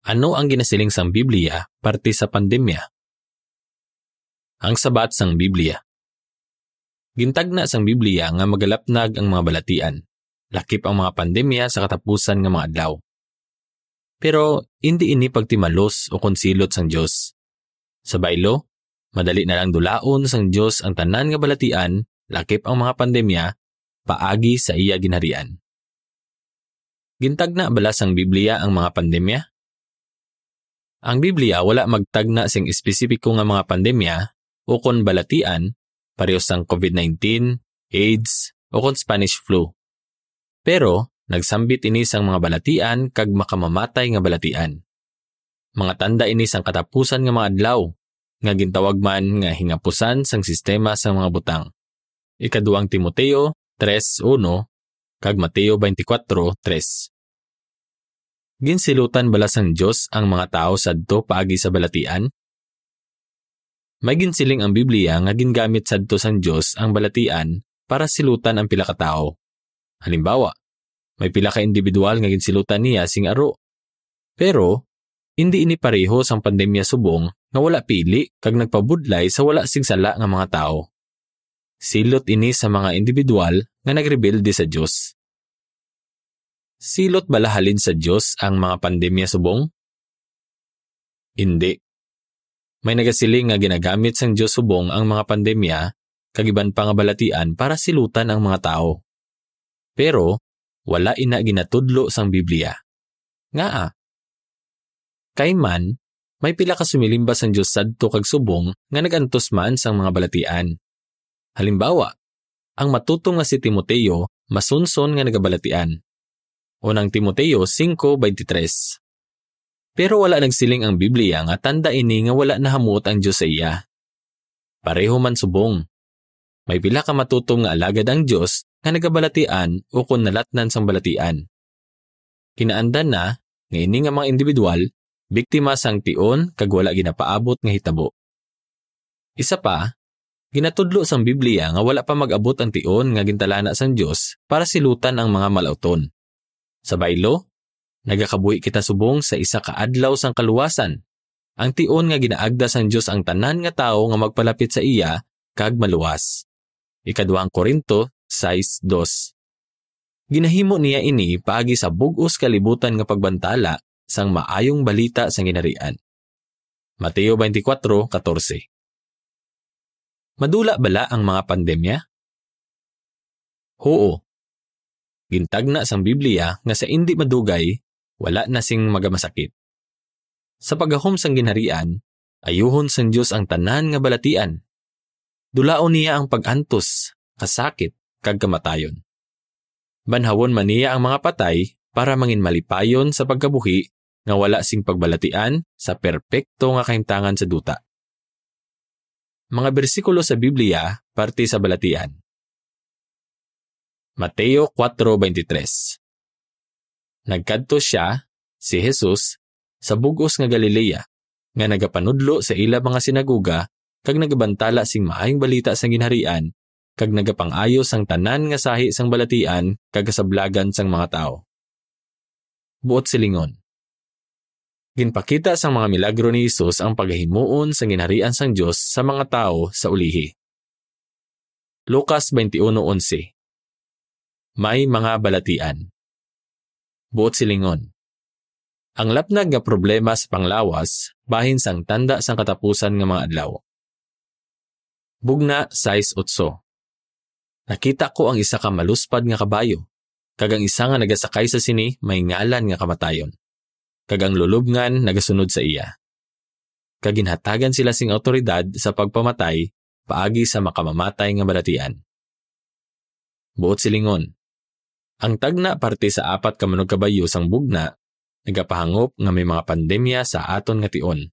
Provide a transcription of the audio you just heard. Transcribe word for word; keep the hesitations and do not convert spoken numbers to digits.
Ano ang ginasiling sang Biblia parte sa pandemya? Ang sabat sang Biblia. Gintagna sang Biblia nga magalapnag ang mga balatian, lakip ang mga pandemya sa katapusan nga mga adlaw. Pero indi ini pagtimalos o kon silot sang Dios. Sa baylo, madali na lang dulaon sang Dios ang tanan nga balatian, lakip ang mga pandemya, paagi sa iya ginharian. Gintagna bala sang Biblia ang mga pandemya? Ang Biblia wala magtagna sing espesipiko nga mga pandemya ukon balatian, pareho sang covid nineteen, AIDS, ukon Spanish flu. Pero nagsambit ini sang mga balatian kag makamamatay nga balatian. Mga tanda ini sang katapusan nga mga adlaw, nga gintawag man nga hingapusan sang sistema sang mga butang. Ikaduang Timoteo tres uno kag Mateo twenty-four tres. Ginsilutan bala sang Dios ang mga tawo sadto paagi sa balatian? May ginsiling ang Biblia nga gingamit sadto sang Dios ang balatian para silutan ang pila ka tawo. Halimbawa, may pila ka individual nga ginsilutan niya sing aro. Pero indi ini pareho sang pandemya subong nga wala pili kag nagpabudlay sa wala sing sala nga mga tawo. Silot ini sa mga individual nga nagrebelde sa Dios. Silot bala halin sa Dios ang mga pandemya subong? Indi. May nagasiling nga ginagamit sang Dios subong ang mga pandemya kag iban pa nga balatian para silutan ang mga tawo. Pero wala ina ginatudlo sang Biblia. Ngaa? Kay man, may pila ka sumilimbas sang Dios sadto kag subong nga nag-antos man sang mga balatian. Halimbawa, ang matutom nga si Timoteo masunson nga nagabalatian. Unang Timoteo singko beintitres. Pero wala nagsiling ang Biblia nga tanda ini nga wala nahamuot ang Dios sa iya. Pareho man subong, may pila ka matutom nga alagad ang Dios nga nagabalatian ukon nalatnan sang balatian. Kinaandan na nga ini nga mga individual biktima sang tion kag wala ginapaabot nga hitabo. Isa pa, ginatudlo sang Biblia nga wala pa mag-abot ang tion nga gintalana sang Dios para silutan ang mga malauton. Sa baylo, nagakabuhi kita subong sa isa ka adlaw sang kaluwasan, ang tion nga ginaagda sang Dios ang tanan nga tawo nga magpalapit sa iya kag maluwas. Ikaduhang Corinto sais dos. Ginahimo niya ini paagi sa bug-os kalibutan nga pagbantala sang maayong balita sang Ginharian. Mateo twenty-four catorce. Madula bala ang mga pandemya? Huo. Gintagna sang Biblia nga sa indi madugay, wala na sing magamasakit. Sa paggahom sang Ginharian, ayuhon sang Dios ang tanan nga balatian. Dulaon niya ang pag-antos, kasakit, kag kamatayon. Banhawon man niya ang mga patay para mangin malipayon sa pagkabuhi nga wala sing pagbalatian sa perpekto nga kahimtangan sa duta. Mga bersikulo sa Biblia parte sa balatian. Mateo kuwatro beintitres. Nagkadto sia, si Jesus, sa bug-os nga Galilea, nga nagapanudlo sa ila mga sinagoga kag nagabantala sing maayong balita sang Ginharian kag nagapang-ayo sang tanan nga sahi sang balatian kag kasablagan sang mga tawo. Buot silingon, ginpakita sang mga milagro ni Jesus ang pagahimuon sang Ginharian sang Dios sa mga tawo sa ulihi. Lucas twenty-one onse. May mga balatian. Buot silingon, ang lapnag nga problema sa panglawas bahin sang tanda sang katapusan nga mga adlaw. Bugna sais otso. Nakita ko ang isa ka maluspad nga kabayo, kag ang isa nga nagasakay sa sini may ngalan nga Kamatayon, kag ang lulobngan nagasunod sa iya. Kag ginhatagan sila sing awtoridad sa pagpamatay paagi sa makamamatay nga balatian. Buot silingon, ang tagna parte sa apat ka manugkabayo sang bugna nagapahangop nga may mga pandemya sa aton nga tion.